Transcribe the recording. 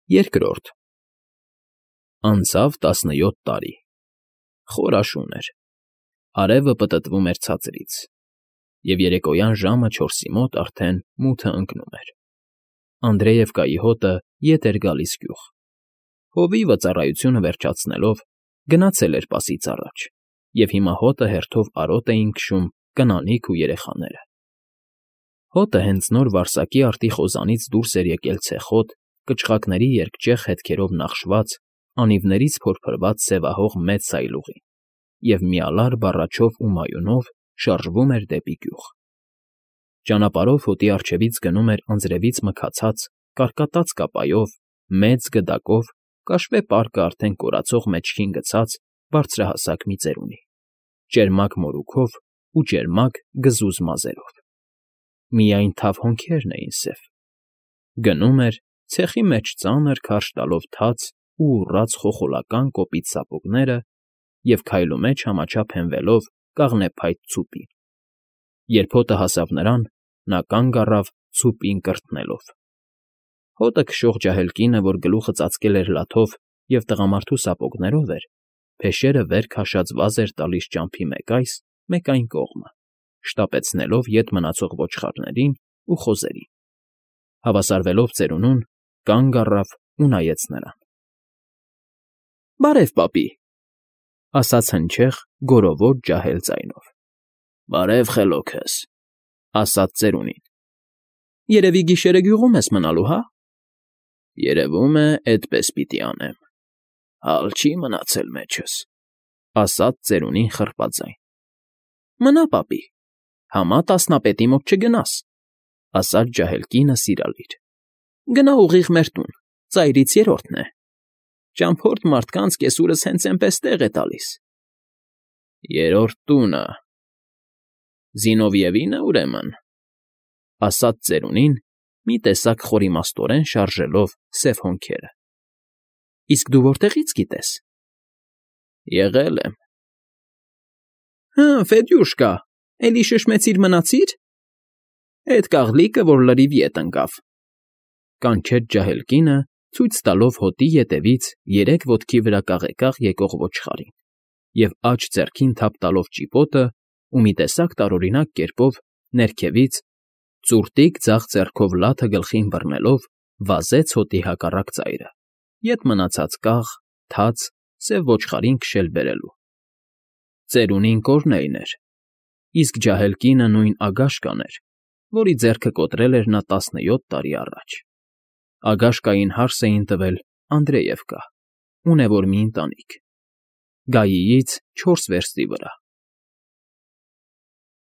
Երկրորդ Անցավ 17 տարի։ Խոր աշուն էր։ Արևը պտտվում էր ցածրից, և երեկոյան ժամը 4-ի մոտ արդեն մութը ընկնում էր։ Անդրեևկայի հոտը ետ էր գալիս գյուղ։ Հովիվը ծառայությունը վերջացնելով գնացել էր պասից առաջ, և հիմա հոտը հերթով արոտ էին քշում կնանիք ու երեխաները։ Հոտը հենց նոր վարսակի արտի խոզանից դուրս էր եկել ցեխոտ, կչղակների երկճեղ հետքերով նախշված, անիվներից փորփրված սևահող մեծ սայլուղին և միալար բառաչով ու մայունով շարժվում էր դեպի գյուղ։ Ճանապարհով հոտի առջևից գնում էր անձրևից մքացած, կարկատած կապայով, մեծ գդակով, կաշվե պարկը արդեն կորացող մեջքին գցած բարձրահասակ մի ծերունի, ճերմակ մորուքով ու ճերմակ գզուզ մազերով։ Միայն թավ հոնքերն էին սև։ Գնում էր, ցեխի մեջ ծանր քարշ տալով թաց ու ուռած խոխոլական կոպիտ սապոգները և քայլու մեջ համաչափ հենվելով կաղնեփայտ ցուպին։ Երբ հոտը հասավ նրան, նա կանգ առավ ցուպին կրթնելով։ Հոտը քշող ջահել կինը, որ գլուխը ծածկել էր լաթով և տղամարդու սապոգներով էր, փեշերը վեր քաշած վազ էր տալիս ճամփի մեկ այս, մեկ այն կողմը, շտապեցնելով ետ մնացող ոչխարներին ու խոզերին։ Հավասարվելով ծերունուն, կանգ առավ ու նայեց նրան։ ֊ Բարև, պապի, ֊ ասաց հնչեղ, գորովոտ ջահել ձայնով։ ֊ Բարև, խելոքս, ֊ ասաց ծերունին։ ֊ Երևի գիշերը գյուղում ես մնալու, հա։ ֊ Երևում է, էդպես պիտի անեմ, հալ չի մնացել մեջս, ֊ ասաց ծերունին խռպաձայն։ ֊ Մնա, պապի, համա տասնապետի մոտ չգնաս, ֊ ասաց ջահել կինը սիրալիր։ ֊ Գնա ուղիղ մեր տուն, ծայրից երրորդն է։ Ճամփորդ մարդկանց կեսուրս հենց էնպես տեղ է տալիս։ ֊ Երրորդ տունը… Զինովիևինը, ուրեմն, ֊ ասաց ծերունին, մի տեսակ խորիմաստորեն շարժելով սև հոնքերը։ ֊ Իսկ դու որտեղի՞ց գիտես։ ֊ Եղել եմ։ ֊ Հը, Ֆեդյուշկա, էլի շշմեցիր՝ մնացի՞ր։ Էդ կաղլիկը, որ լրիվ ետ ընկավ, ֊ կանչեց ջահել կինը, ցույց տալով հոտի ետևից երեք ոտքի վրա կաղեկաղ եկող ոչխարին և աջ ձեռքին թափ տալով ճիպոտը ու մի տեսակ տարօրինակ կերպով ներքևից, ծուռտիկ ձախ ձեռքով լաթը գլխին բռնելով, վազեց հոտի հակառակ ծայրը, ետ մնացած կաղ, թաց, սև ոչխարին քշել բերելու։ Ծերունին Կորնեյն էր, իսկ ջահել կինը նույն Ագաշկան էր, որի ձեռքը կոտրել էր նա 17 տարի առաջ։ Ագաշկային հարս էին տվել Անդրեևկա, ունևոր մի ընտանիք, Գայիից 4 վերստի վրա։